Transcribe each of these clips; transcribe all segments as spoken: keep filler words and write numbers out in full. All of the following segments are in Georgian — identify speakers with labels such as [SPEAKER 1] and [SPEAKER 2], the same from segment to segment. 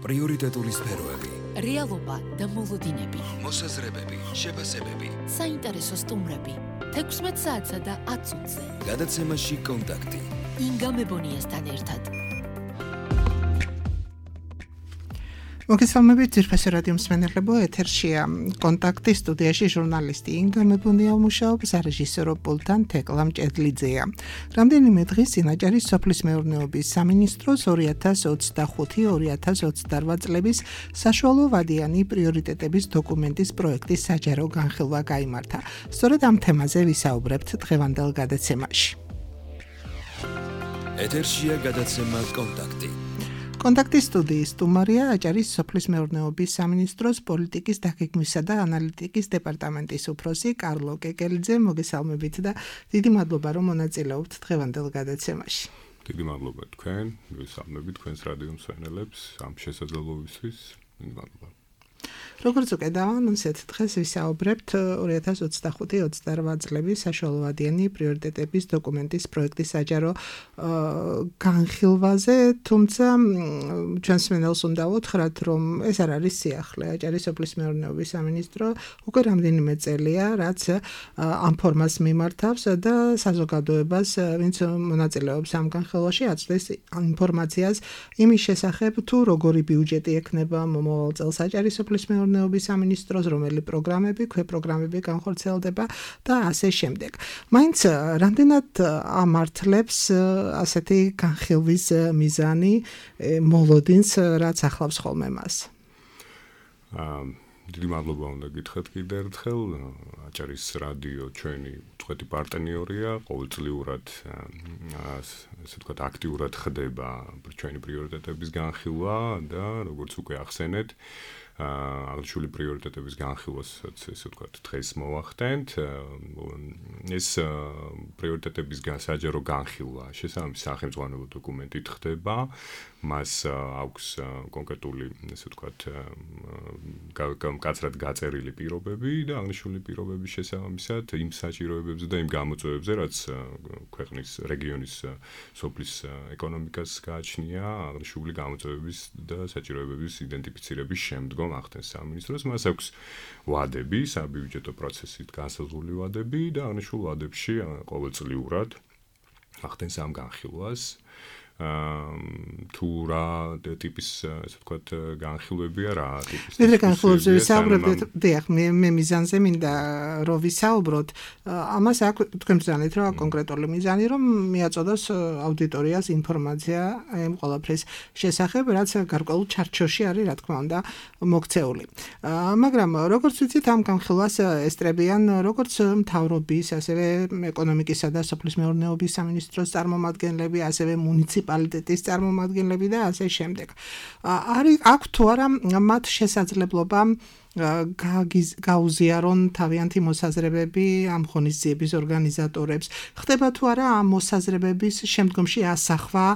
[SPEAKER 1] პრიორიტეტული სფეროები,
[SPEAKER 2] რეალობა და მოლოდინები,
[SPEAKER 1] მოსაზრებები, შეფასებები,
[SPEAKER 2] საინტერესო სტუმრები, თექვსმეტ საათსა და ათ წუთზე.
[SPEAKER 1] გადაცემაში კონტაქტი.
[SPEAKER 2] ინგა მებონიასთან ერთად.
[SPEAKER 3] მოგესალმებით ძვირფასი რადიო მსმენელებო, ეთერშია კონტაქტი, სტუდიაში ჟურნალისტი ინგა მებონია მუშაობს, რეჟისორო პულტთან თეკლა მჭედლიძეა. რამდენიმე დღის წინ აჭარის სოფლის მეურნეობის სამინისტროს ორი ათას ოცდახუთი ორი ათას ოცდარვა წლების საშუალო ვადიანი პრიორიტეტების დოკუმენტის პროექტის საჯარო განხილვა გაიმართა. სწორედ ამ თემაზე ვისაუბრებთ დღევანდელ გადაცემაში.
[SPEAKER 1] ეთერშია გადაცემა კონტაქტი.
[SPEAKER 3] კონტაქტის სტუდიის სტუმარია აჭარის სოფლის მეურნეობის სამინისტროს პოლიტიკის დაგეგმვისა და ანალიტიკის დეპარტამენტის უფროსი კარლო კეკელიძე. მოგესალმებით და დიდი მადლობა რომ მონაწილეობთ დღევანდელ გადაცემაში.
[SPEAKER 4] დიდი მადლობა თქვენ, მოგესალმებით თქვენს რადიო მსმენელებს ამ შესაძლებლობისთვის. დიდი მადლობა.
[SPEAKER 3] როგორც უკვე დავანონსეთ, დღეს ვისაუბრებთ ორი ათას ოცდახუთი ოცდარვა წლების საშუალოვადიანი პრიორიტეტების დოკუმენტის პროექტის საჯარო განხილვაზე, თუმცა ჩვენს მსმენელს უნდა ვუთხრათ, რომ ეს არ არის სიახლე. აჭარის სოფლის მეურნეობის სამინისტრო უკვე რამდენიმე წელია, რაც ამ ფორმას მიმართავს და საზოგადოებას, ვინც მონაწილეობს ამ განხილვაში, აწვდის ინფორმაციას იმის შესახებ, თუ როგორი ბიუჯეტი ექნება მომავალ წელს აჭარის სოფლის მეურნეობის სამინისტროს, რომელი პროგრამები, ქვეპროგრამები განხორციელდება და ასე შემდეგ. მაინც რამდენად ამართლებს ასეთი განხილვის მიზანი მოლოდინს, რაც ახლავს ხოლმე მას?
[SPEAKER 4] დიდი მადლობა უნდა გითხრათ კიდევ ერთხელ. აჭარის რადიო ჩვენი უწყვეტი პარტნიორია, ყოველწლიურად ასე ვთქვათ აქტიურად ხდება ჩვენი პრიორიტეტების განხილვა და როგორც უკვე ახსენეთ, აღნიშნული პრიორიტეტების განხილვას ესე ვთქვათ დღეს მოვახდენთ. ეს პრიორიტეტების საჯარო განხილვა შესაბამისი სახელმწიფო დოკუმენტით ხდება. მას აქვს კონკრეტული ესე ვთქვათ მკაცრად გაწერილი პირობები და აღნიშნული პირობების შესაბამისად იმ საჭიროებებზე და იმ გამოწვევებზე, რაც ქვეყნის რეგიონის სოფლის ეკონომიკას გააჩნია, აღნიშნული გამოწვევების და საჭიროებების იდენტიფიცირების შემდგომ ახდენს სამინისტროს. მას აქვს ვადები, საბიუჯეტო პროცესით განსაზღვრული ვადები და აღნიშნულ ვადებში ყოველწლიურად ახდენს ამ განხილვას. თუ რა ტიპის ასე ვთქვათ განხილვებია, რა ტიპის
[SPEAKER 3] მე განხილვებზე ვისაუბრებთ, დიახ, მე მე მიზანზე მინდა რომ ვისაუბროთ. ამას აქვს თქვენ ბრძანეთ, რომ კონკრეტული მიზანი, რომ მიაწოდოს აუდიტორიას ინფორმაცია ამ ყველაფრის შესახებ, რაც გარკვეულ ჩარჩოში არის, რა თქმა უნდა, მოქცეული. მაგრამ როგორც ვიცით, ამ განხილვას ესწრებიან როგორც მთავრობის, ასევე ეკონომიკისა და სოფლის მეურნეობის სამინისტროს წარმომადგენლები, ასევე მუნიციპალიტეტების პალიტეტის წარმომადგენლები და ასე შემდეგ. არის აქვს თუ არა მათ შესაძლებლობა გაუზიარონ თავიანთი მოსაზრებები ამ ღონისძიების ორგანიზატორებს? ხდება თუ არა ამ მოსაზრებების შემდგომში ასახვა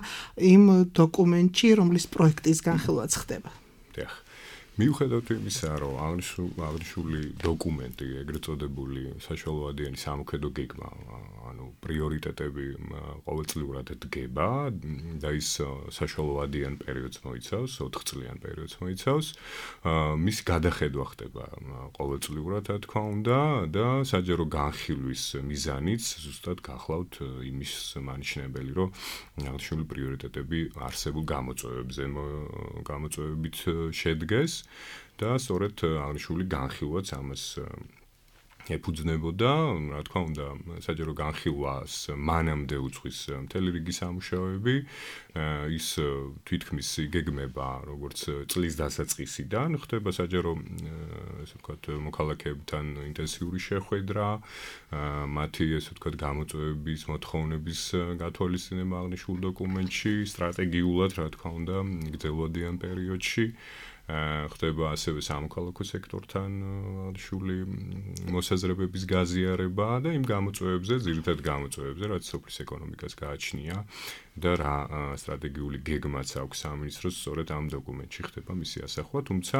[SPEAKER 3] იმ დოკუმენტში, რომლის პროექტის განხილვაც ხდება?
[SPEAKER 4] დიახ. მიუხედავად იმისა, რომ აღნიშნული დოკუმენტი, ეგრეთ წოდებული საშუალოვადიანი სამოქმედო გეგმა, ანუ პრიორიტეტები ყოველწლიურად დგება და ის საშუალოვადიან პერიოდს მოიცავს, ოთხწლიან პერიოდს მოიცავს. მისი გადახედვა ხდება ყოველწლიურად, რა თქმა უნდა, და საჯარო განხილვის მიზანიც ზუსტად გახლავთ იმის მანიშნებელი, რომ აღნიშნული პრიორიტეტები არსებულ გამოწვევებზე გამოწვევებით შედგეს. და სწორედ აღნიშნული განხილვაც ამას ეფუძნებოდა, რა თქმა უნდა, საჯარო განხილვას მანამდე უძღვის მთელი რიგი სამუშაოები, ის თვითქმის იგეგმება, როგორც წლის დასაწყისიდან, ხდება საჯარო, ესე ვთქვათ, მოქალაქეებთან ინტენსიური შეხვედრა, მათი, ესე ვთქვათ, გამოწვევების, მოთხოვნების გათვალისწინება აღნიშნულ დოკუმენტში, სტრატეგიულად, რა თქმა უნდა, გრძელვადიან პერიოდში. ხდება ასევე სამოქალაქო სექტორთან შული მოსაზრებების გაზიარება და იმ გამოწვევებზე, ძირითად გამოწვევებზე, რაც სოფლის ეკონომიკას გააჩნია და რა სტრატეგიული გეგმაც აქვს სამინისტროს სწორედ ამ დოკუმენტში ხდება მისი ასახვა, თუმცა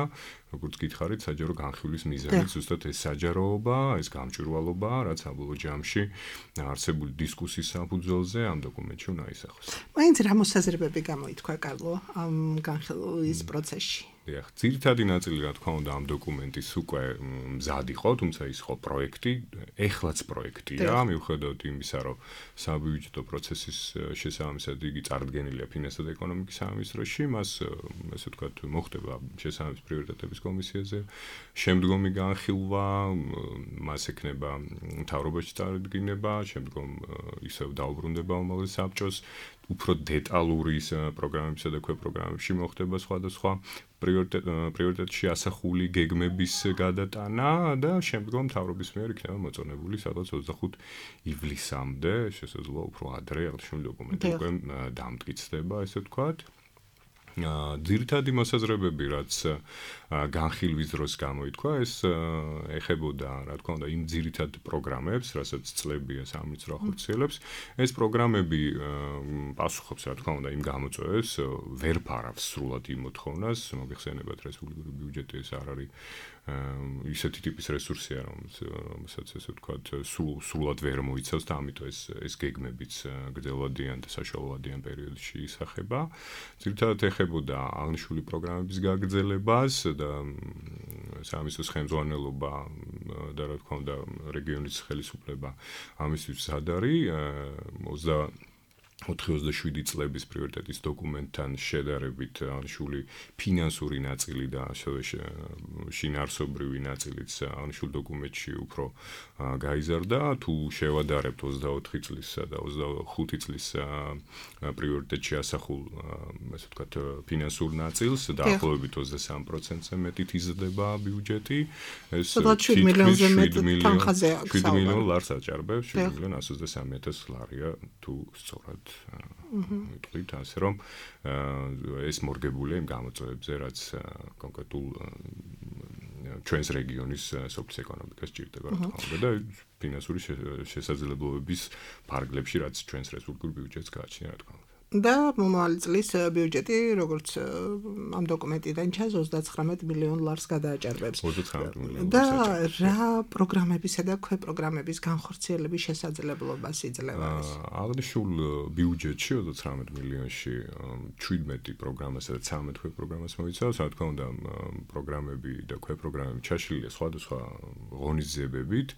[SPEAKER 4] როგორც გითხარით, საჯარო განხილვის მიზანით ზუსტად ეს საჯაროობა, ეს გამჭვირვალობა, რაც საბოლოო ჯამში არსებული დისკუსიის საფუძველზე ამ დოკუმენტში უნდა ისახოს.
[SPEAKER 3] მაინც რა მოსაზრებები გამოითქვა კარლო ამ განხილვის პროცესში?
[SPEAKER 4] დიახ, ძირითადი ნაწილი რა თქმა უნდა ამ დოკუმენტის უკვე მზად იყო, თუმცა ის ხო პროექტი, ეხლაც პროექტია, მიუხედავად იმისა, რომ საბიუჯეტო პროცესის შესაბამისად იგი წარდგენილია ფინანსთა და ეკონომიკის სამინისტროში, მას ესე ვთქვათ, მოხდება შესაბამის პრიორიტეტების კომისიაზე, შემდგომი განხილვა, მას ექნება მთავრობაში წარდგინება, შემდგომ ისევ დაუბრუნდება უმაღლეს საბჭოს, უფრო დეტალური პროგრამებისა და ქვეპროგრამებში მოხდება სხვადასხვა პრიორიტეტში ასახული გეგმების გადატანა და შემდგომ მთავრობის მიერ იქნება მოწონებული სადღაც ოცდახუთ ივლისამდე, შესაძლოა უფრო ადრე აღნიშნული დოკუმენტი უკვე დამტკიცდება, ესე ვთქვათ. ძირითადი მოსაზრებები, რაც განხილვის დროს გამოითქვა, ეს ეხებოდა, რა თქმა უნდა, იმ ძირითად პროგრამებს, რასაც წლებია სამინისტრო ახორციელებს. ეს პროგრამები პასუხობს, რა თქმა უნდა, იმ გამოწვევებს, ვერ ფარავს სრულად იმ მოთხოვნას, მოგეხსენებათ რესპუბლიკური ბიუჯეტი ეს არ არის ისეთი ტიპის რესურსია, რომელსაც ესე ვთქვათ, სრულად ვერ მოიცავს და ამიტომ ეს ეს გეგმებიც გრძელვადიან და საშუალოვადიან პერიოდში ისახება. ძირითადად ეხებოდა აღნიშნული პროგრამების გაგრძელებას და სამინისტროს ხელმძღვანელობა და რა თქმა უნდა რეგიონის ხელისუფლება ამისთვის მზად არის. ოთხი ოცდაშვიდი წლების პრიორიტეტის დოკუმენტთან შედარებით აღნიშნული ფინანსური ნაწილი და ასევე შინაარსობრივი ნაწილიც აღნიშნულ დოკუმენტში უფრო გაიზარდა. თუ შევადარებთ ოცდაოთხი წლისა და ოცდახუთი წლის პრიორიტეტში ასახულ, ასე ვთქვათ, ფინანსურ ნაწილს, დაახლოებით ოცდასამ პროცენტზე მეტით იზრდება ბიუჯეტი. ეს
[SPEAKER 3] შვიდ მილიონზე მეტ თანხაზე აქვს.
[SPEAKER 4] შვიდ მილიონ ლარს აჭარბებს, შვიდ მილიონ ასი ოცდასამი ათას ლარია თუ სწორად ვიტყვით ასე რომ ეს მორგებულია იმ გამოწვევებზე, რაც კონკრეტულ ჩვენს რეგიონის სოფლის ეკონომიკას ჭირდება, რა თქმა უნდა და ფინანსური შესაძლებლობების ფარგლებში, რაც ჩვენს რესპუბლიკურ ბიუჯეტს გააჩნია, რა თქმა უნდა.
[SPEAKER 3] და მომავალი წლის ბიუჯეტი, როგორც ამ დოკუმენტიდან ჩანს, ოცდაცხრამეტ მილიონ ლარს გადააჭარბებს.
[SPEAKER 4] ოცდაცხრამეტ მილიონ
[SPEAKER 3] და რა პროგრამებისა და ქვეპროგრამების განხორციელების შესაძლებლობას იძლევა ეს?
[SPEAKER 4] აღნიშნულ ბიუჯეტში ოცდაცხრამეტ მილიონში შვიდმეტი პროგრამასა და ცხრამეტ ქვეპროგრამას მოიცავს, რა თქმა უნდა, პროგრამები და ქვეპროგრამები ჩაშლილია სხვადასხვა ღონისძიებებით.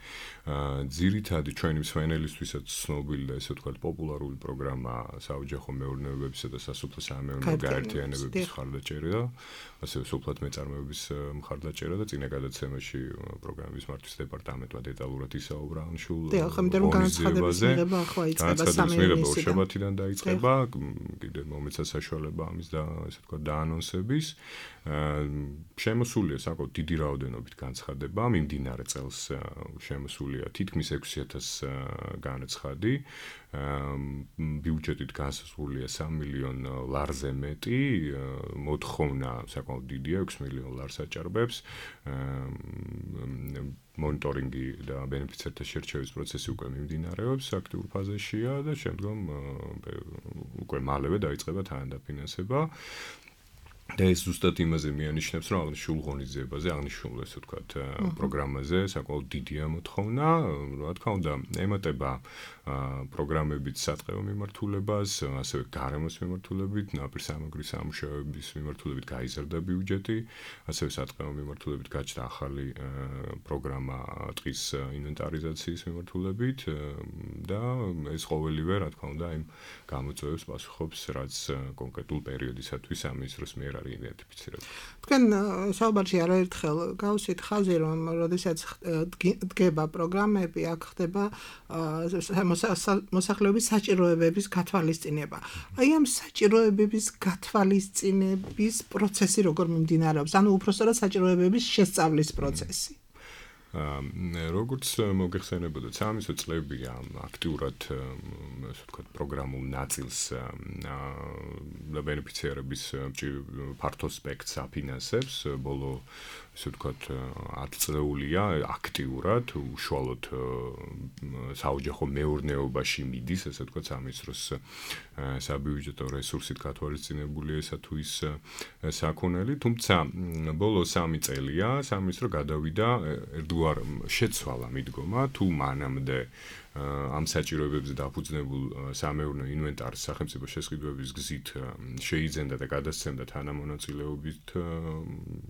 [SPEAKER 4] ძირითადი ჩვენი მსმენელისთვისაც ცნობილი და ესე ვთქვათ, პოპულარული პროგრამა საოჯახო მეურნეობებისა და სასოფლო-სამეურნეო გაერთიანებების მხარდაჭერა, ასევე სოფლად მეწარმეობის მხარდაჭერა და წინა გადაცემაში პროგრამის მართვის დეპარტამენტმა დეტალურად ისაუბრა აღნიშნულ
[SPEAKER 3] ღონისძიებაზე.
[SPEAKER 4] განცხადების ორშაბათიდან დაიწყება, კიდევ მომეცა საშუალება ამის და ესე ვთქვათ დაანონსების. შემოსულია საკმაოდ დიდი რაოდენობით განცხადება, მიმდინარე წელს შემოსულია თითქმის ექვსი ათას განაცხადი. ბიუჯეტით განსაზღვრულია სამი მილიონ ლარზე მეტი, მოთხოვნა საკმაოდ დიდია, ექვს მილიონ ლარს აჭარბებს. მონიტორინგი და ბენეფიცერთა შერჩევის პროცესი უკვე მიმდინარეობს, აქტიურ ფაზაშია და შემდგომ უკვე მალევე დაიწყება თანადაფინანსება. და ეს ზუსტად იმაზე მიანიშნებს, რომ აღნიშნულ ღონისძიებაზე, აღნიშნულ ესე ვთქვათ, პროგრამაზე საკმაოდ დიდია მოთხოვნა, რა თქმა უნდა, ემატება პროგრამებით სატყეო მიმართულებას, ასევე გარემოს მიმართულებით, ნაპირსამაგრის სამუშაოების მიმართულებით გაიზარდა ბიუჯეტი, ასევე სატყეო მიმართულებით გაჩნდა ახალი პროგრამა ტყის ინვენტარიზაციის მიმართულებით და ეს ყოველივე, რა თქმა უნდა, იმ გამოწვევებს პასუხობს, რაც კონკრეტულ პერიოდისათვის სამინისტროს მიერ არის იდენტიფიცირებული.
[SPEAKER 3] თქვენ საუბარში არაერთხელ გავუსვით ხაზი, რომ როდესაც დგება პროგრამები, აქ ხდება მოსახლეობის საჭიროებების გათვალისწინება. აი ამ საჭიროებების გათვალისწინების პროცესი როგორ მიმდინარეობს? ანუ უпростоრად საჭიროებების შესწავლის პროცესი.
[SPEAKER 4] როგორც მოგეხსენებოდეთ, სამისო წლებია აქტიურად ასე ვთქვათ პროგრამულ ნაწილს და ბენეფიციარების ფართო სპექტრს აფინანსებს, ბოლო ასე ვთქვათ ათი წლეულია აქტიურად უშუალოდ საოჯახო მეურნეობაში მიდის, ასე ვთქვათ სამინისტროს საბიუჯეტო რესურსით გათვალისწინებული ესა თუ ის საქონელი, თუმცა ბოლო სამი წელია სამინისტრო გადავიდა ერთგვარ შეცვალა მიდგომა თუ მანამდე ამ საჭიროებებზე დაფუძნებულ სამეურნეო ინვენტარს სახელმწიფო შესყიდვების გზით შეიძენდა და გადასცემდა თანამონაწილეობით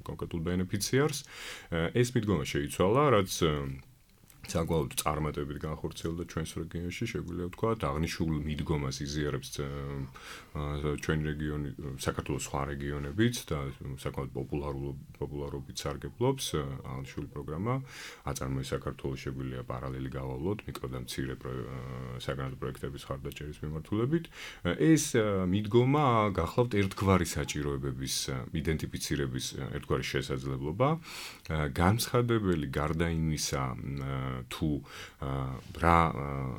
[SPEAKER 4] კონკრეტულ ბენეფიციარს. ეს მიდგომა შეიცვალა, რაც საკმაოდ წარმატებით განხორციელდა ჩვენს რეგიონში, შეგვიძლია ვთქვათ, აღნიშნულ მიდგომას იზიარებს ჩვენი რეგიონი, საქართველოს სხვა რეგიონებიც და საკმაოდ პოპულარობით სარგებლობს აღნიშნული პროგრამა. აწარმოეს საქართველოს შეგვიძლია პარალელი გავავლოთ მიკრო და მცირე საგანმანათლებლო პროექტების ხარდაჭერის მიმართულებით. ეს მიდგომა გახლავთ ერთგვარი საჭიროებების იდენტიფიცირების ერთგვარი შესაძლებლობა, განცხადებელი გარდა იმისა თუ რა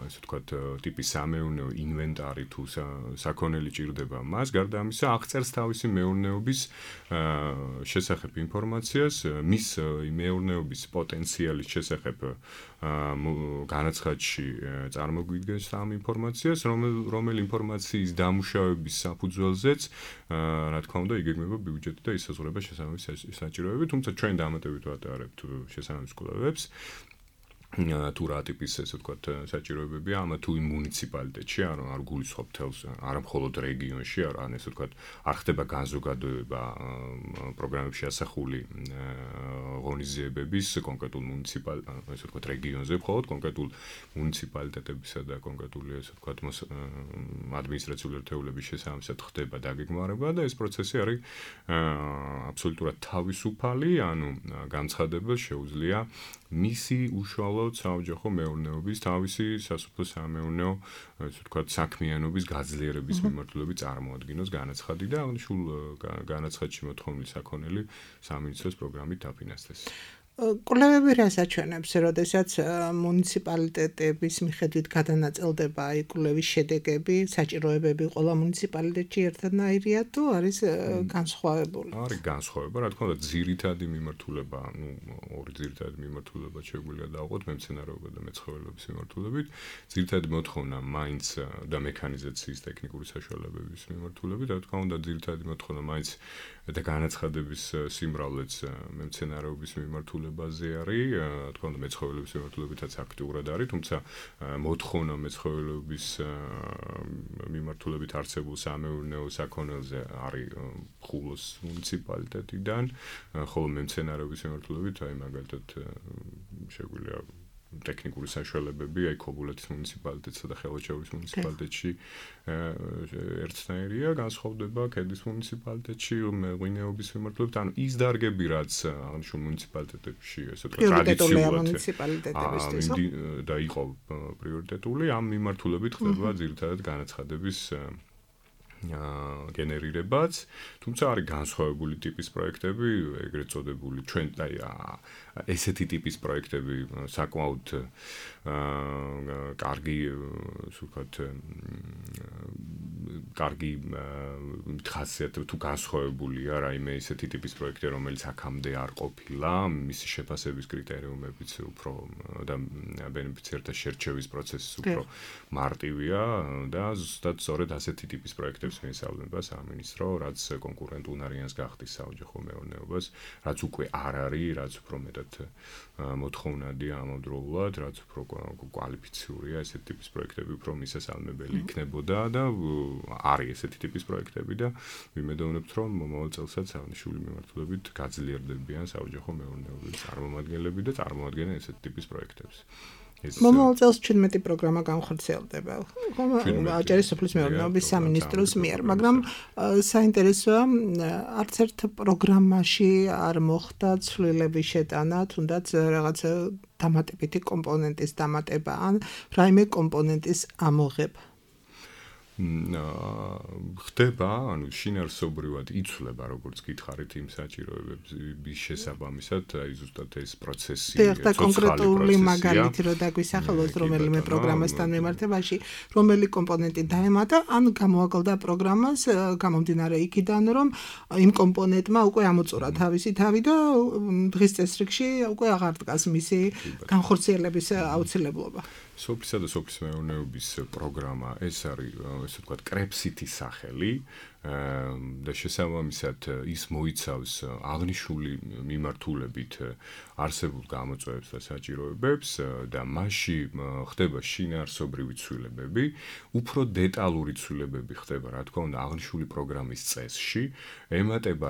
[SPEAKER 4] ასე ვთქვათ ტიპის სამეურნეო ინვენტარი თუ საქონელი ჭირდება მას, გარდა ამისა აღწერს თავისი მეურნეობის შესახებ ინფორმაციას, მის მეურნეობის პოტენციალის შესახებ განაცხადში წარმოგვიდგენს ამ ინფორმაციას, რომელი ინფორმაციის დამუშავების საფუძველზეც რა თქმა უნდა იგეგმება ბიუჯეტი და ისაზღვრება შესაბამისი საჭიროებები, თუმცა ჩვენ დამატებით ვატარებთ შესაბამის კვლევებს. თუ რა ტიპის ესე ვთქვათ საჭიროებებია ამა თუ იმ მუნიციპალიტეტში, არ არ გულისხმობ თელს, არა მხოლოდ რეგიონში, არ ესე ვთქვათ, არ ხდება განზოგადოება პროგრამებში ასახული ღონისძიებების კონკრეტულ მუნიციპალ, ესე ვთქვათ, რეგიონზე, მხოლოდ კონკრეტულ მუნიციპალიტეტებისა და კონკრეტული ესე ვთქვათ ადმინისტრაციული ერთეულების შესაბამისად ხდება დაგეგმარება და ეს პროცესი არის აბსოლუტურად თავისუფალი, ანუ განცხადებელს შეუძლია მისი უშუალოდ საოჯახო მეურნეობის თავისი სასოფლო სამეურნეო ასე ვთქვათ საქმიანობის გაძლიერების მიმართულებით წარმოადგინოს განაცხადი და აღნიშნულ განაცხადში მოთხოვნილი საქონელი სამინისტროს პროგრამით დაფინანსდეს.
[SPEAKER 3] კვლევები რას აჩვენებს, როდესაც მუნიციპალიტეტების მიხედვით გადანაწილდება აი კვლევის შედეგები, საჭიროებები ყველა მუნიციპალიტეტში ერთადნაირია თუ არის განსხვავებული?
[SPEAKER 4] არის განსხვავება, რა თქმა უნდა, ძირითადი მიმართულება, ну, ორი ძირითადი მიმართულება შეგვიძლია დავყოთ მემცენარეობა და მეცხოველეობის მიმართულებით. ძირითადი მოთხოვნა მაინც და მექანიზაციის ტექნიკური საშუალებების მიმართულებით, რა თქმა უნდა, ძირითადი მოთხოვნა მაინც და განაცხადების სიმრავლეც მემცენარეობის მიმართულებაზე არის, რა თქმა უნდა, მეცხოველეობის მიმართულებითაც აქტიურად არის, თუმცა მოთხოვნა მეცხოველეობის მიმართულებით არსებულ სამეურნეო საქონელზე არის ხულოს მუნიციპალიტეტიდან, ხოლო მემცენარეობის მიმართულებით, აი მაგალითად შეგვიძლია ტექნიკური საშუალებები, აი ქობულეთის მუნიციპალიტეტსა და ხელვაჩაურის მუნიციპალიტეტში ერთნაირია, განსხვავდება ქედის მუნიციპალიტეტში ღვინეობის მიმართულებით, ანუ ის დარგები, რაც აღნიშნულ მუნიციპალიტეტებში, ესე ვთქვათ, ტრადიციულად და იყო პრიორიტეტული, ამ მიმართულებით ხდება ძირითადად განაცხადების გენერირებაც, თუმცა არის განსხვავებული ტიპის პროექტები, ეგრეთ წოდებული ჩვენ აი ესეთი ტიპის პროექტები საკმაოდ კარგი, ასე ვთქვათ, კარგი ხასიათი თუ განსხვავებულია რაიმე ესეთი ტიპის პროექტი, რომელიც აქამდე არ ყოფილა, მისი შეფასების კრიტერიუმებიც უფრო და ბენეფიციართა შერჩევის პროცესი უფრო მარტივია და ზუსტად სწორედ ასეთი ტიპის პროექტებს მიესალმება სამინისტრო, რაც კონკურენტუნარიანს გახდის საოჯახო მეურნეობას, რაც უკვე არ არის, რაც უფრო მეტად მოთხოვნადია ამავდროულად, რაც უფრო კვალიფიციურია ესეთი ტიპის პროექტები, უფრო მისასალმებელი იქნებოდა და არის ესეთი ტიპის პროექტები და ვიმედოვნებთ, რომ მომავალ წელსაც აღნიშნული მიმართულებით გაძლიერდებიან საოჯახო მეურნეობის წარმომადგენლები და წარმოადგენენ ესეთი ტიპის პროექტებს.
[SPEAKER 3] მომავალ წელს ჩვენმეტი პროგრამა განხორციელდება. აჭარის სოფლის მეურნეობის სამინისტროს მიერ, მაგრამ საინტერესოა, არც ერთ პროგრამაში არ მოხდა ცვლილების შეტანა, თუნდაც რაღაც დამატებითი კომპონენტის დამატება ან რაიმე კომპონენტის ამოღება.
[SPEAKER 4] ხდება, ანუ შინაარსობრივად იცვლება, როგორც გითხარით, იმ საჭიროებების შესაბამისად, აი ზუსტად ეს პროცესი,
[SPEAKER 3] ცოცხალი კონკრეტული მაგალითი რო დაგვისახელოს რომელიმე პროგრამასთან მიმართებაში, რომელი კომპონენტი დაემატა, ან გამოაკლდა პროგრამას, გამომდინარე იქიდან, რომ იმ კომპონენტმა უკვე ამოწურა თავისი თავი და დღის წესრიგში უკვე აღარ დგას მისი განხორციელების აუცილებლობა.
[SPEAKER 4] სოფლისა და სოფლის მეურნეობის პროგრამა ეს არის, ესე ვთქვათ, კრეფსითის სახელი და შესაბამისად ის მოიცავს აღნიშნული მიმართულებით არსებულ გამოწვევებს და საჭიროებებს და მასში ხდება შინაარსობრივი ცვლილებები, უფრო დეტალური ცვლილებები ხდება, რა თქმა უნდა, აღნიშნული პროგრამის წესში, ემატება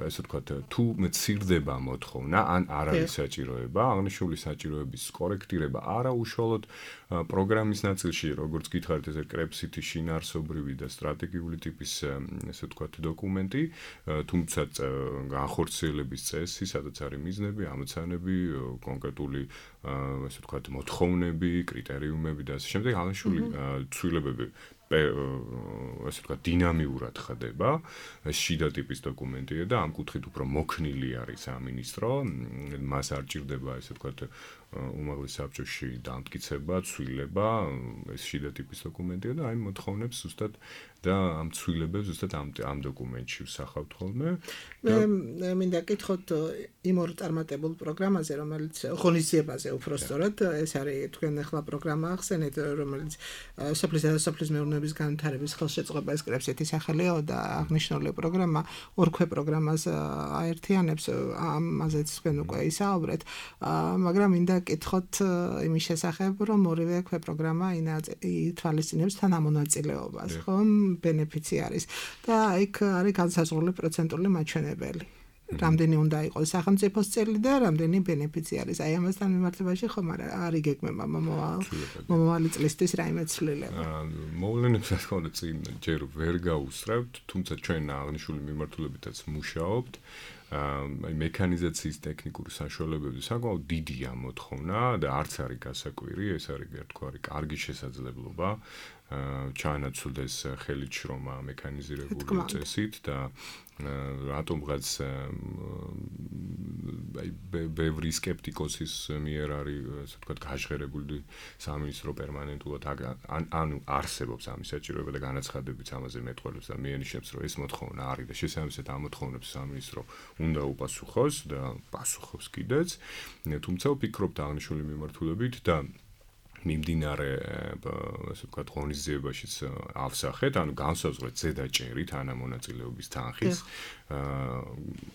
[SPEAKER 4] ესე ვთქვათ, თუ მცირდება მოთხოვნა, ან არ არის საჭიროება, აღნიშნული საჭიროების კორექტირება არა უშუალოდ პროგრამის ნაწილში, როგორც გითხარით, ეს კრეფსითი შინაარსობრივი და სტრატეგიული ტიპის ესე ვთქვათ დოკუმენტი, თუმცა განხორციელების წესი, სადაც არის მიზნები, ამოცანები, კონკრეტული ესე ვთქვათ მოთხოვნები, კრიტერიუმები და ასე შემდეგ, აღნიშნული ცვლილებები ესე ვთქვათ დინამიურად ხდება, ეს შიდა ტიპის დოკუმენტია და ამ კუთხით უფრო მოქნილი არის სამინისტრო, მას არ ჭირდება ესე ვთქვათ უმაღლეს საბჭოში დამტკიცება, ცვლილება, ეს შიდა ტიპის დოკუმენტია და აი მოთხოვნებს ზუსტად და ამ ცვლილებებს ზუსტად ამ ამ დოკუმენტში ვსახავთ ხოლმე.
[SPEAKER 3] მე მინდა გითხოთ იმ ორ წარმატებულ პროგრამაზე, რომელიც ღონისძიებაზე უფრო სწორად, ეს არის თქვენ ახლა პროგრამა ახსენეთ, რომელიც სოფლისა და სოფლის მეურნეობის განვითარების ხელშეწყობა ეს კრეფსითის სახელია და აღნიშნული პროგრამა ორ ქვე პროგრამას აერთიანებს, ამაზეც თქვენ უკვე ისაუბრეთ, მაგრამ მინდა გითხოთ იმის შესახებ, რომ ორივე ქვე პროგრამა ითვალისწინებს თანამონაწილეობას, ხო? ბენეფიციარის და იქ არის განსაზღვრული პროცენტული მაჩვენებელი. რამდენი უნდა იყოს სახელმწიფოს წელი და რამდენი ბენეფიციარის. აი ამასთან მიმართებაში ხომ არ იგეგმება მომავალი წლისთვის რაიმე ცვლილება.
[SPEAKER 4] მოვლენებს რა თქმა უნდა წინ ჯერ ვერ გაუსწრებთ, თუმცა ჩვენ აღნიშნული მიმართულებითაც მუშაობთ. აი მექანიზაციის ტექნიკური საშუალებები საკმაოდ დიდია მოთხოვნა და არც არის გასაკვირი, ეს არის თქვა არის კარგი შესაძლებლობა ჩაანაცვლდეს ხელით შრომა მექანიზირებული წესით და რატომღაც აი ბევრი სკეპტიკოსის მიერ არის ასე ვთქვათ გაჟღერებული სამინისტრო პერმანენტულად ანუ არსებობს ამის საჭიროება და განაცხადებიც ამაზე მეტყველებს და მიანიშნებს რომ ეს მოთხოვნა არის და შესაბამისად ამ მოთხოვნებს სამინისტრო უნდა უპასუხოს და პასუხობს კიდეც თუმცა ვფიქრობთ აღნიშნული მიმართულებით და მიმდინარე ასე ვთქვათ ღონისძიებაშიც ავსახეთ, ანუ განსაზღვრეთ ზედაჭერით თანამონაწილეობის თანხის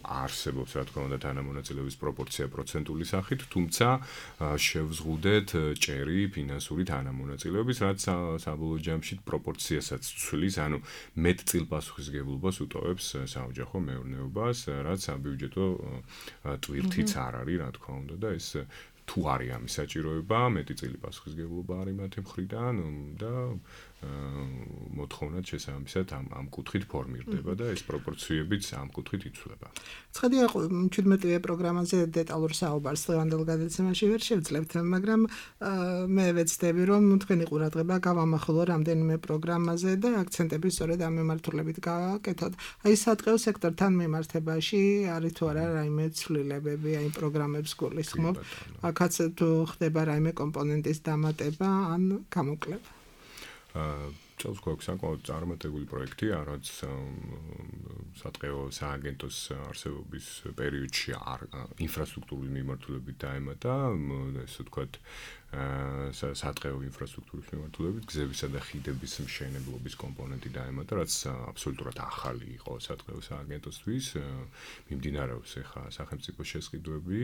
[SPEAKER 4] არსებობს რა თქმა უნდა თანამონაწილეობის პროპორცია პროცენტული სახით, თუმცა შევზღუდეთ ჭერი ფინანსური თანამონაწილეობის, რაც საბოლოო ჯამში პროპორციასაც ცვლის, ანუ მეტწილ პასუხისმგებლობას უტოვებს საოჯახო მეურნეობას, რაც საბიუჯეტო ტვირთიც არ არის, რა თქმა უნდა და ეს თუ არის ამის საჭიროება, მეტი წილი პასუხისმგებლობა არის მათი მხრიდან და მოთხოვნად შესაბამისად ამ ამ კუთხით ფორმირდება და ეს პროპორციებიც ამ კუთხით იცვლება.
[SPEAKER 3] ცხადია, შვიდმეტივე პროგრამაზე დეტალურ საუბარს დღევანდელ გადაცემაში ვერ შევძლებთ, მაგრამ მე ვეცდები, რომ თქვენი ყურადღება გავამახვილო რამდენიმე პროგრამაზე და აქცენტები სწორედ ამ მიმართულებით გავაკეთოთ. აი სატყეო სექტორთან მიმართებაში არის თუ არა რაიმე ცვლილებები, აი პროგრამებს გულისხმობ, აქაც თუ ხდება რაიმე კომპონენტის დამატება ან გამოკლება.
[SPEAKER 4] წელს გვაქვს საკმაოდ წარმატებული პროექტი, რაც სატყეო სააგენტოს არსებობის პერიოდში ინფრასტრუქტურული მიმართულებით დაემატა, ესე ვთქვათ, სატყეო ინფრასტრუქტურის მიმართულებით გზებისა და ხიდების მშენებლობის კომპონენტი დაემატა, რაც აბსოლუტურად ახალი იყო სატყეო სააგენტოსთვის. მიმდინარეობს ახლა სახელმწიფო შესყიდვები,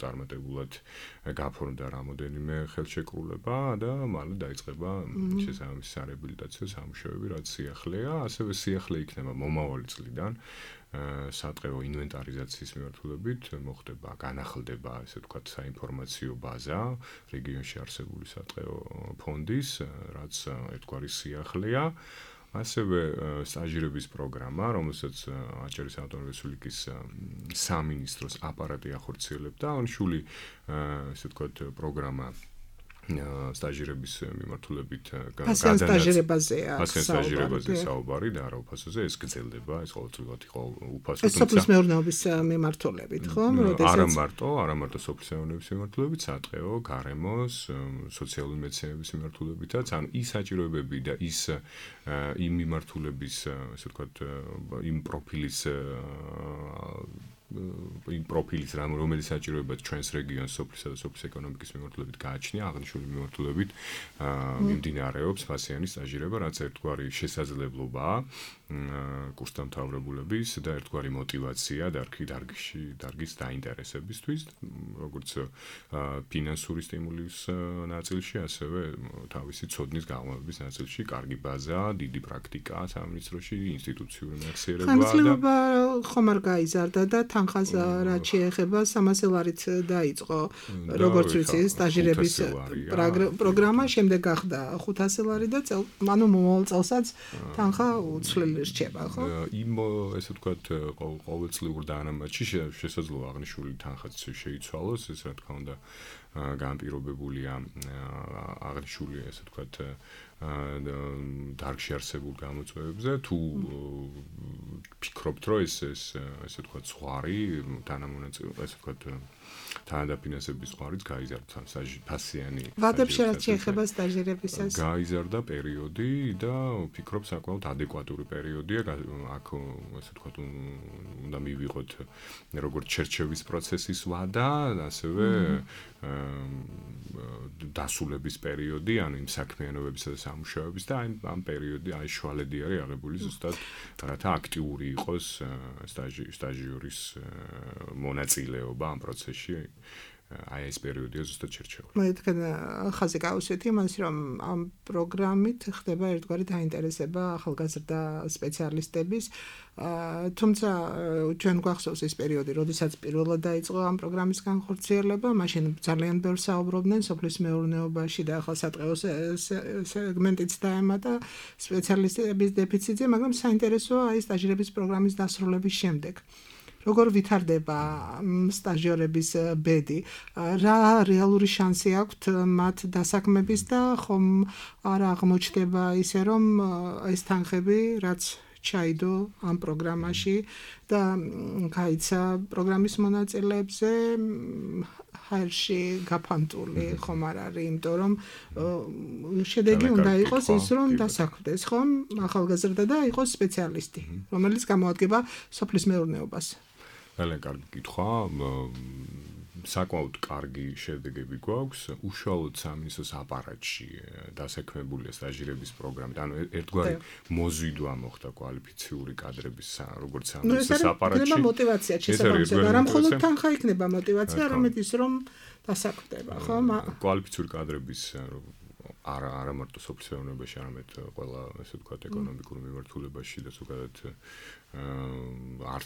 [SPEAKER 4] წარმატებულად გაფორმდა რამოდენიმე ხელშეკრულება და მალე დაიწყება შესაბამისი სარეაბილიტაციო სამუშაოები, რაც სიახლეა, ასევე სიახლე იქნება მომავალი წლიდან. სატყეო ინვენტარიზაციის მიმართულებით მოხდება, განახლდება, ესე ვთქვათ, საინფორმაციო ბაზა რეგიონში არსებული სატყეო ფონდის, რაც ერთგვარი სიახლეა. ასევე სტაჟირების პროგრამა, რომელსაც აჭარის ავტონომიური რესპუბლიკის სამინისტროს აპარატი ახორციელებდა, აღნიშნული, ესე ვთქვათ, პროგრამა სტაჟირების მიმართულებით
[SPEAKER 3] პასიან სტაჟირებაზეა
[SPEAKER 4] პასიან სტაჟირებაზე საუბარი და რა უფასოზე ეს გრძელდება ეს ყოველწლიურად იყო უფასო
[SPEAKER 3] თუმცა სოფლის მეურნეობის მიმართულებით ხო როდესაც
[SPEAKER 4] არა მარტო არა მარტო სოფლის მეურნეობის მიმართულებით სატყეო გარემოს სოციალური მეცნიერების მიმართულებითაც ანუ ის საჭიროებები და ის იმ მიმართულების ასე ვთქვათ იმ პროფილის იმ პროფილის რამ რომელიც საჭიროებად ჩვენს რეგიონს სოფლისა და სოფლის ეკონომიკის მიმართულებით გააჩნია აღნიშნული მიმართულებით მიმდინარეობს პასიანი სტაჟირება რაც ერთგვარი შესაძლებლობაა კურსდამთავრებულების და ერთგვარი мотиваცია დარგი დარგში დარგის დაინტერესებისთვის როგორც ფინანსური სტიმულის ნაწილში ასევე თავისი ცოდნის გაღრმავების ნაწილში კარგი ბაზა დიდი პრაქტიკა სამინისტროში ინსტიტუციური მეხსიერება და
[SPEAKER 3] ხანგრძლივობა ხომ არ გაიზარდა და თანხას რაც შეეხება სამასი ლარით დაიწყო როგორც ვიცი სტაჟირების პროგრამა შემდეგ გახდა ხუთასი ლარი და ანუ მომავალ წელსაც თანხა უცვლელი რჩება ხო?
[SPEAKER 4] იმ ესე ვთქვათ ყოველწლიურ დანამატში შესაძლოა აღნიშნული თანხაც შეიცვალოს ეს რა თქმა უნდა განპირობებულია აღნიშნული ესე ვთქვათ დარგში არსებულ გამოწვევებზე თუ ფიქრობთ რომ ეს ეს ესე ვთქვათ ზღვარი თანამონაწილე ესე ვთქვათ თანადაფინანსების ზღვარიც გაიზარდა პასიანი
[SPEAKER 3] ვადებში რაც შეეხება სტაჟირებისას
[SPEAKER 4] გაიზარდა პერიოდი და ვფიქრობ საკმაოდ ადეკვატური პერიოდია აქ ესე ვთქვათ უნდა მივიღოთ როგორც ჩერჩევის პროცესის ვადა ასევე დასულების პერიოდი ანუ იმ საქმიანობებისა და სამუშაოების და ამ პერიოდი აი შუალედი არის აღებული ზუსტად რათა აქტიური იყოს სტაჟი სტაჟიორის მონაწილეობა ამ პროცესში აი ეს პერიოდია ზუსტად ჩერჩეული.
[SPEAKER 3] მე თქვენ ხაზი გავუსვით იმას რომ ამ პროგრამით ხდება ერთგვარი დაინტერესება ახალგაზრდა სპეციალისტების თუმცა ჩვენ გვახსოვს ეს პერიოდი, როდესაც პირველად დაიწყო ამ პროგრამის განხორციელება, მაშინ ძალიან ბევრ საუბრობდნენ სოფლის მეურნეობაში და ახლა სატყეო სეგმენტიც დაემატა სპეციალისტების დეფიციტზე, მაგრამ საინტერესოა აი სტაჟირების პროგრამის დასრულების შემდეგ. როგორ ვითარდება სტაჟიორების ბედი, რა რეალური შანსი აქვთ მათ დასაქმების და ხომ არ აღმოჩნდება ისე რომ ეს თანხები რაც ჩაიდო ამ პროგრამაში და გაიცა პროგრამის მონაწილეებზე ჰაერში გაფანტული ხომ არ არის, იმიტომ რომ შედეგი უნდა იყოს ის რომ დასაქმდეს ხომ ახალგაზრდა და იყოს სპეციალისტი, რომელიც გამოადგება სოფლის მეურნეობას.
[SPEAKER 4] ძალიან კარგი კითხვა. საკმაოდ კარგი შედეგები გვაქვს უშუალოდ სამინისტროს აპარატში დასაქმებულია სტაჟირების პროგრამით. ანუ ერთგვარი მოზიდვა მოხდა კვალიფიციური კადრების როგორც სამინისტროს აპარატში.
[SPEAKER 3] ეს мотиваცია შესაბამისად, არა მხოლოდ თანხა იქნება мотиваცია, არამედ ის რომ დასაქმდება, ხო?
[SPEAKER 4] კვალიფიციური კადრების არა არა მარტო სოფლის მეურნეობაში, არამედ ყველა ესე ვთქვათ ეკონომიკურ მიმართულებაში და ზოგადად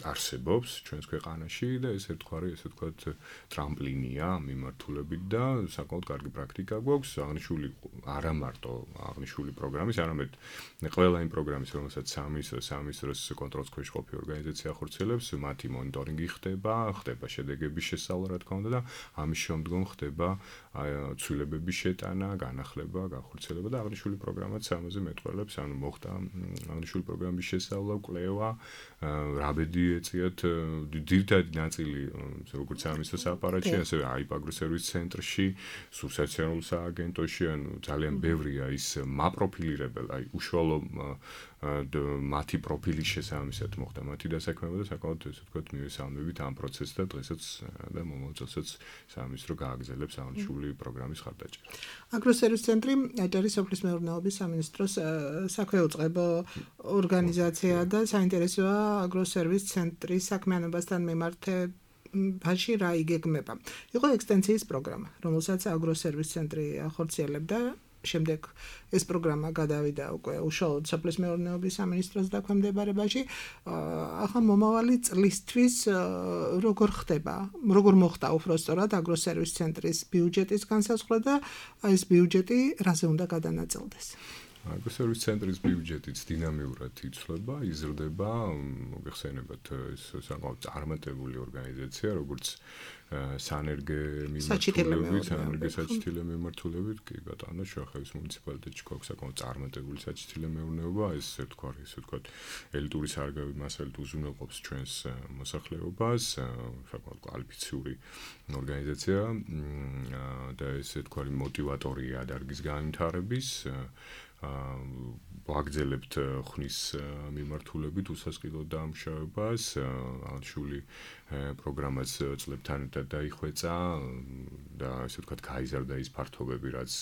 [SPEAKER 4] არსებობს ჩვენს ქვეყანაში და ეს ერთგვარი ესე ვთქვათ ტრამპლინია მიმართულებით და საკმაოდ კარგი პრაქტიკა გვაქვს აღნიშნული არა მარტო აღნიშნული პროგრამის, არამედ ყველა იმ პროგრამის, რომელსაც სამინისტრო სამინისტროს კონტროლის ქვეშ ყოფი ორგანიზაცია ხორციელებს, მათი მონიტორინგი ხდება, ხდება შედეგების შესწავლა, რა თქმა უნდა და ამის შემდგომ ხდება ცვლილებების შეტანა, განახლება, განხორციელება და აღნიშნული პროგრამაც ამაზე მეტყველებს, ანუ მოხდა აღნიშნული პროგრამის შესწავლა, კვლევა, რა ბედი ეწიათ ძირითადი ნაწილი როგორც სამინისტროს აპარატში, ასევე აიპაგრო სერვის ცენტრში, სუბსოციალურ სააგენტოში, ანუ ძალიან ბევრია ის მაპროფილირებელი, აი უშუალო მათი პროფილის შესაბამისად მოხდა მათი დასაქმება და საკმაოდ ესე ვთქვათ მივესალმებით ამ პროცესს და დღესაც და მომავალ წელსაც სამინისტრო გააგრძელებს აღნიშნული პროგრამის ხარდაჭერას.
[SPEAKER 3] აგროსერვის ცენტრი აჭარის სოფლის მეურნეობის სამინისტროს საქვეუწყებო ორგანიზაცია და საინტერესოა აგროსერვის ცენტრის საქმიანობასთან მიმართებაში რა იგეგმება. იყო ექსტენსიის პროგრამა, რომელსაც აგროსერვის ცენტრი ახორციელებდა. შემდეგ ეს პროგრამა გადავიდა უკვე უშუალოდ სოფლის მეურნეობის სამინისტროს დაქვემდებარებაში. ახლა მომავალი წლისთვის როგორ ხდება, როგორ მოხდა უბრალოდ აგროსერვის ცენტრის ბიუჯეტის განსაზღვრა და ეს ბიუჯეტი რაზე უნდა გადანაწილდეს?
[SPEAKER 4] აგრესორიის ცენტრის ბიუჯეტიც დინამიურად იცვლება, იზრდება, მოგეხსენებათ ეს საკმაოდ წარმატებული ორგანიზაცია, როგორც სანერგე მიმართულებით, სანერგე საჩითილე მიმართულებით, კი ბატონო, შუახევის მუნიციპალიტეტში გვაქვს საკმაოდ წარმატებული საჩითილე მეურნეობა, ეს ესე ვთქვა, ესე ვთქვა, ელიტური სარგავი მასალით უზრუნველყოფს ჩვენს მოსახლეობას, საკმაოდ კვალიფიციური ორგანიზაცია და ესე ვთქვა, მოტივატორია დარგის განვითარების ვაგრძელებთ ხნის მიმართულებით უსასყიდლო დამუშავებას, ალშული პროგრამას წლებთან ერთად დაიხვეწა და ესე ვთქვათ გაიზარდა ის ფართობები, რაც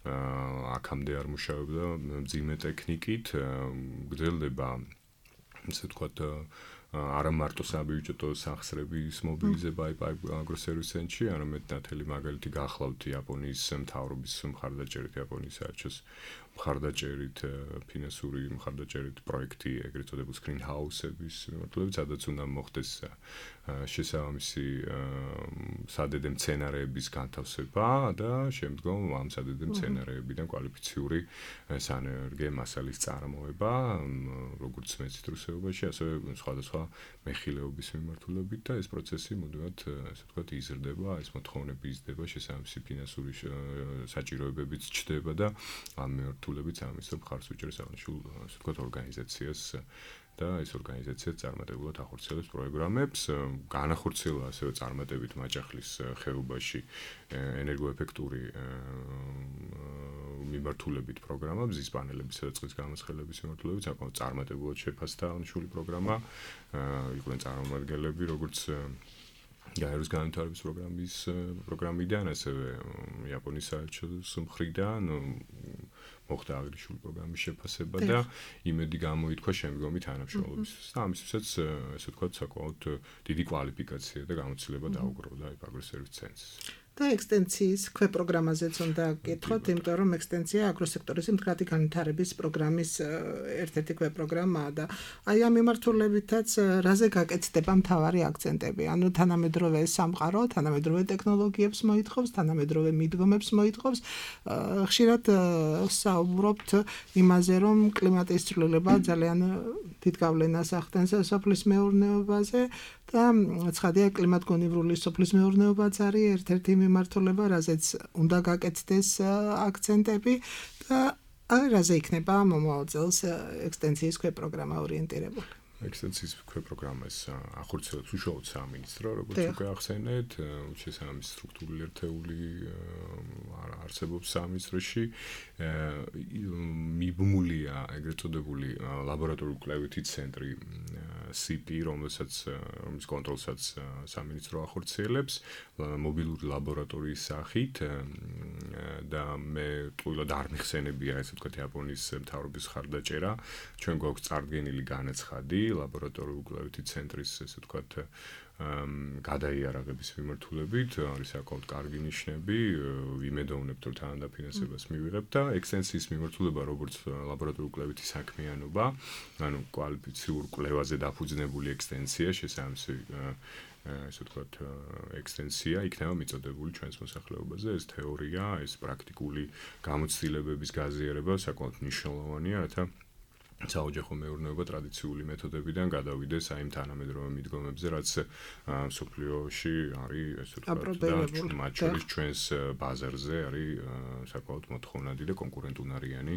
[SPEAKER 4] აქამდე არ მუშაობდა მძიმე ტექნიკით, გრძელდება ესე ვთქვათ არა მარტო საბიუჯეტო სახსრების მობილიზება აგრესორიის ცენტრში, არამედ ნათელი მაგალითი გახლავთ იაპონიის მთავრობის მხარდაჭერით, იაპონიის საელჩოს მხარდაჭერით, ფინანსური მხარდაჭერით პროექტი, ეგრეთ წოდებული screen house-ების მიმართულებით, სადაც უნდა მოხდეს შესაბამისი სადედე მცენარეების განთავსება და შემდგომ ამ სადედე მცენარეებიდან კვალიფიციური სანერგე მასალის წარმოება, როგორც მეციტრუსეობაში, ასევე სხვადასხვა მეხილეობის მიმართულებით და ეს პროცესი მუდმივად, ასე ვთქვათ, იზრდება, ეს მოთხოვნები იზრდება, შესაბამისი ფინანსური საჭიროებებიც ჩდება და ამ მიმართულებით ამის მხარს უჭერს აღნიშნულ, ასე ვთქვათ, ორგანიზაციას და ეს ორგანიზაცია წარმატებულად ახორციელებს პროგრამებს, განახორციელა ასევე წარმატებით მაჭახლის ხეობაში ენერგოეფექტური მიმართულებით პროგრამა, ბზის პანელების და წყლის გამოსხელების მიმართულებით საკმაოდ წარმატებულად შეფასდა აღნიშნული პროგრამა, იყვნენ წარმომადგენლები, როგორც გაეროს განვითარების პროგრამის პროგრამიდან, ასევე იაპონიის საელჩოს მხრიდან მოხდა აღნიშნული პროგრამის შეფასება და იმედი გამოითქვა შემდგომი თანამშრომლობისთვის. და ამისთვისაც, ესე ვთქვათ, საკმაოდ დიდი კვალიფიკაცია და გამოცდილება დაუგროვდა აგრესორიის ცენტრს.
[SPEAKER 3] და ექსტენციის ქვეპროგრამაზეც უნდა გკითხოთ, იმიტომ რომ ექსტენცია აგროსექტორის მდგრადი განვითარების პროგრამის ერთ-ერთი ქვეპროგრამაა და აი ამ მიმართულებითაც რაზე გაკეთდება მთავარი აქცენტები? ანუ თანამედროვე სამყარო, თანამედროვე ტექნოლოგიებს მოითხოვს, თანამედროვე მიდგომებს მოითხოვს. ხშირად საუბრობთ იმაზე, რომ კლიმატის ცვლილება ძალიან დიდ გავლენას ახდენს სოფლის მეურნეობაზე და ცხადია კლიმატგონივრული სოფლის მეურნეობაც არის ერთ-ერთი მიმართულება, რაზეც უნდა გაკეთდეს აქცენტები და რაზე იქნება მომავალ წელს ექსტენციის ქვეპროგრამა ორიენტირებული.
[SPEAKER 4] ექსტენციის ქვეპროგრამას ახორციელებს უშუალოდ სამინისტრო, როგორც უკვე ახსენეთ, შესაბამისი სტრუქტურული ერთეული არსებობს სამინისტროში. მიბმულია ეგრეთ წოდებული ლაბორატორიული კვლევითი ცენტრი სი პი, რომელსაც რომლის კონტროლსაც სამინისტრო ახორციელებს მობილური ლაბორატორიის სახით და მე ტყუილად არ მიხსენებია, ესე ვთქვათ, იაპონიის მთავრობის ხარდაჭერა. ჩვენ გვაქვს წარდგენილი განაცხადი ლაბორატორიული კვლევითი ცენტრის, ესე ვთქვათ, გადაიარაღების მიმართულებით, არის საკმაოდ კარგი ნიშნები, ვიმედოვნებთ, რომ თანადაფინანსებას მივიღებთ და ექსტენციის მიმართულება, როგორც ლაბორატორიული კვლევითი საქმიანობა, ანუ კვალიფიციურ კვლევაზე დაფუძნებული ექსტენცია, შესაბამისი ესე ვთქვათ, ექსტენცია იქნება მიწოდებული ჩვენს მოსახლეობაზე, ეს თეორია, ეს პრაქტიკული გამოცდილებების გაზიარება საკმაოდ მნიშვნელოვანია, რათა საოჯახო მეურნეობა ტრადიციული მეთოდებიდან გადავიდეს აი ამ თანამედროვე მიდგომებზე, რაც სოფლიოში არის, ესე ვთქვათ, მათ შორის ჩვენს ბაზარზე არის საკმაოდ მოთხოვნადი და კონკურენტუნარიანი,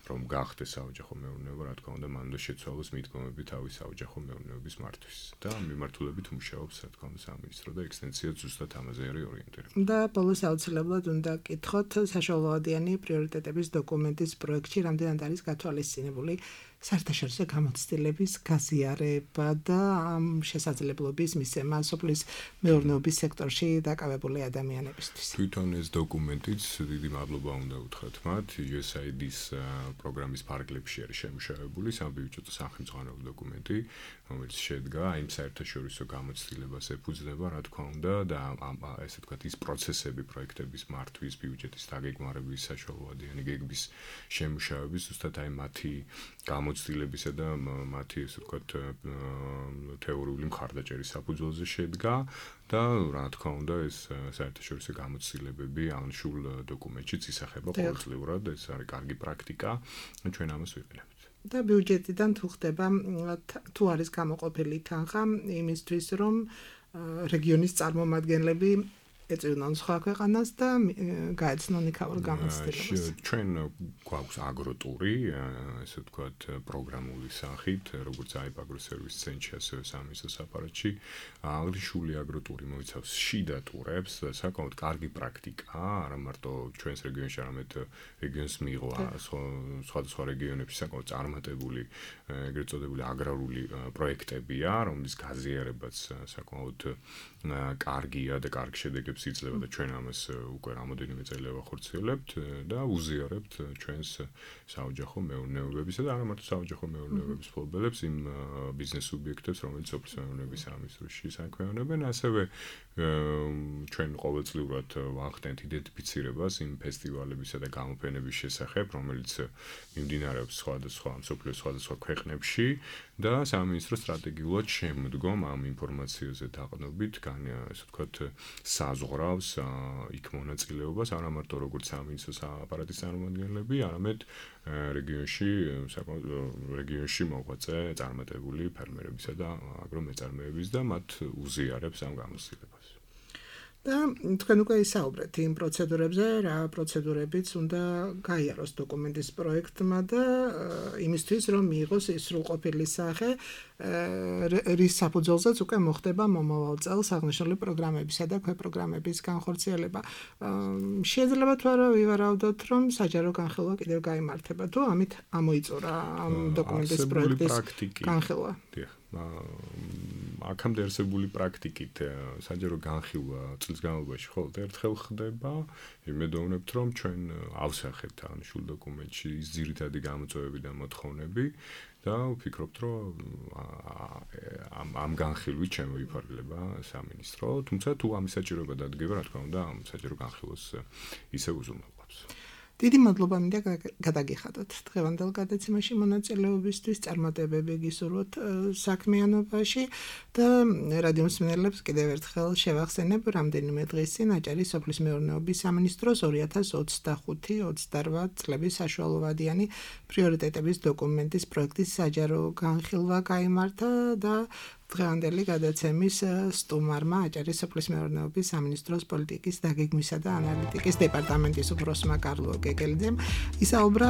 [SPEAKER 4] რომ გახდეს საოჯახო მეურნეობა, რა თქმა უნდა, მან უნდა შეცვალოს მიდგომები თავის საოჯახო მეურნეობის მართვის და მიმართულებით მუშაობს, რა თქმა უნდა, სამინისტრო და ექსტენცია ზუსტად ამაზე არის ორიენტირებული.
[SPEAKER 3] და ბოლოს აუცილებლად უნდა გკითხოთ საშუალოადიანი პრიორიტეტების დოკუმენტის პროექტში რამდენად არის გათვალისწინებული საერთაშორისო გამოცდილების გაზიარება და ამ შესაძლებლობის მისცემა სოფლის მეურნეობის სექტორში დაკავებული ადამიანებისთვის.
[SPEAKER 4] თვითონ ეს დოკუმენტიც დიდი მადლობა უნდა უთხრათ მათ, იუ ეს აი დი-ის პროგრამის ფარგლებში არის შემუშავებული საბიუჯეტო სახელმძღვანელო დოკუმენტი, რომელიც შედგა იმ საერთაშორისო გამოცდილებას ეფუძნება, რა თქმა უნდა, და ამ ესე ვთქვათ, ის პროცესები, პროექტების მართვის, ბიუჯეტის დაგეგმარების, საშუალებიანი გეგმის შემუშავების, ზუსტად აი მათი გამოცდილებისა და მათი ესე ვთქვათ, თეორიული მხარდაჭერის საფუძველზე შედგა და რა თქმა უნდა, ეს საერთაშორისო გამოცდილებები აღნიშნულ დოკუმენტშიც ისახება ყოველწლიურად, ეს არის კარგი პრაქტიკა, ჩვენ ამას ვიყენებთ.
[SPEAKER 3] და ბიუჯეტიდან თუ ხდება თუ არის გამოყოფილი თანხა იმისთვის, რომ რეგიონის წარმომადგენლები ეწვივნონ სხვა ქვეყანას და გაეცნონ იქაურ გამოცდილებას.
[SPEAKER 4] ჩვენ გვაქვს აგროტური, ესე ვთქვათ, პროგრამული სახით, როგორც აიბ აგროსერვის ცენტრში, ასევე სამინისტროს აპარატში, აღნიშნული აგროტური მოიცავს შიდა ტურებს, საკმაოდ კარგი პრაქტიკაა, არა მარტო ჩვენს რეგიონში, არამედ რეგიონს მიიღო სხვადასხვა რეგიონებში საკმაოდ წარმატებული, ეგრეთ წოდებული აგრარული პროექტებია, რომლის გაზიარებაც საკმაოდ კარგია და კარგ შედეგებს იძლევა და ჩვენ ამას უკვე რამოდენიმე წელი ვახორციელებთ და უზიარებთ ჩვენს საოჯახო მეურნეობებისა და არა მარტო საოჯახო მეურნეობების მფლობელებს, იმ ბიზნეს სუბიექტებს, რომელიც სოფლის მეურნეობის სამინისტროში საქმიანობენ, ასევე ჩვენ ყოველწლიურად ვახდენთ იდენტიფიცირებას იმ ფესტივალებისა და გამოფენების შესახებ, რომელიც მიმდინარეობს სხვადასხვა მსოფლიოს სხვადასხვა ქვეყნებში და სამინისტრო სტრატეგიულად შემდგომ ამ ინფორმაციაზე დაყრდნობით, ესე ვთქვათ, საზღვრავს იქ მონაწილეობას, არა მარტო როგორც სამინისტროს აპარატის წარმომადგენლები, არამედ რეგიონში, საკმაოდ რეგიონში მოღვაწე წარმატებული ფერმერებისა და აგრომეწარმეების და მათ უზიარებს ამ გამოცდილებას.
[SPEAKER 3] და თქვენ უკვე ისაუბრეთ იმ პროცედურებზე, რა პროცედურებიც უნდა გაიაროს დოკუმენტის პროექტმა და იმისთვის, რომ მიიღოს ის სრულყოფილი სახე, რის საფუძველზეც უკვე მოხდება მომავალ წელს აღნიშნული პროგრამებისა და ქვეპროგრამების განხორციელება. შეიძლება თუ არა ვივარაუდოთ, რომ საჯარო განხილვა კიდევ გაიმართება, თუ ამით ამოიწურა ამ დოკუმენტის პროექტის განხილვა.
[SPEAKER 4] აქამდე არსებული პრაქტიკით საჯარო განხილვა წლის განმავლობაში მხოლოდ ერთხელ ხდება. იმედოვნებთ, რომ ჩვენ ავსახებთ აღნიშნულ დოკუმენტში ის ძირითადი გამოწვევები და მოთხოვნები და ვფიქრობთ, რომ ამ ამ განხილვით შემოიფარგლება სამინისტრო, თუმცა თუ ამის საჭიროება დადგება, რა თქმა უნდა, ამ საჯარო განხილვას ისევ უზრუნველყოფს.
[SPEAKER 3] დიდი მადლობა მინდა გადაგიხადოთ დღევანდელ გადაცემაში მონაწილეობისთვის, წარმატებები გისურვოთ საქმიანობაში და რადიო მსმენელებს კიდევ ერთხელ შევახსენებ, რამდენიმე დღის წინ აჭარის სოფლის მეურნეობის სამინისტროს ორი ათას ოცდახუთი ოცდარვა წლების საშუალოვადიანი პრიორიტეტების დოკუმენტის პროექტის საჯარო განხილვა გაიმართა და დღევანდელი გადაცემის სტუმარმა აჭარის სოფლის მეურნეობის სამინისტროს პოლიტიკის დაგეგმისა და ანალიტიკის დეპარტამენტის უფროსმა კარლო გეგელიძემ ისაუბრა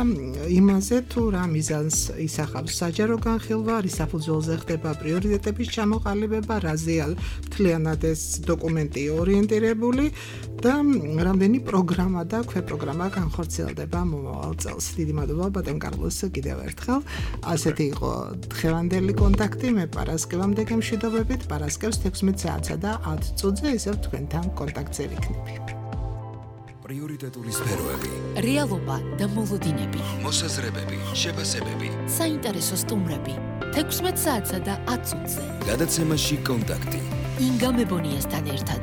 [SPEAKER 3] იმაზე, თუ რა მიზანს ისახავს საჯარო განხილვა, რის საფუძველზე ხდება პრიორიტეტების ჩამოყალიბება, რაზეა მთლიანად ეს დოკუმენტი ორიენტირებული და რამდენი პროგრამა და ქვეპროგრამა განხორციელდება მომავალ წელს. დიდი მადლობა ბატონ კარლოს კიდევ ერთხელ. ასეთი იყო დღევანდელი კონტაქტი, მე პარასკევამდე გემშვიდობებით, პარასკევს თექვსმეტ საათსა და ათ წუთზე ისევ თქვენთან კონტაქტზე ვიქნები.
[SPEAKER 1] პრიორიტეტული სფეროები,
[SPEAKER 2] რეალობა და მოლოდინები,
[SPEAKER 1] მოსაზრებები, შეფასებები,
[SPEAKER 2] საინტერესო სტუმრები, თექვსმეტ საათსა და ათ წუთზე.
[SPEAKER 1] გადაცემაში კონტაქტი.
[SPEAKER 2] ინგა მებონიასთან ერთად.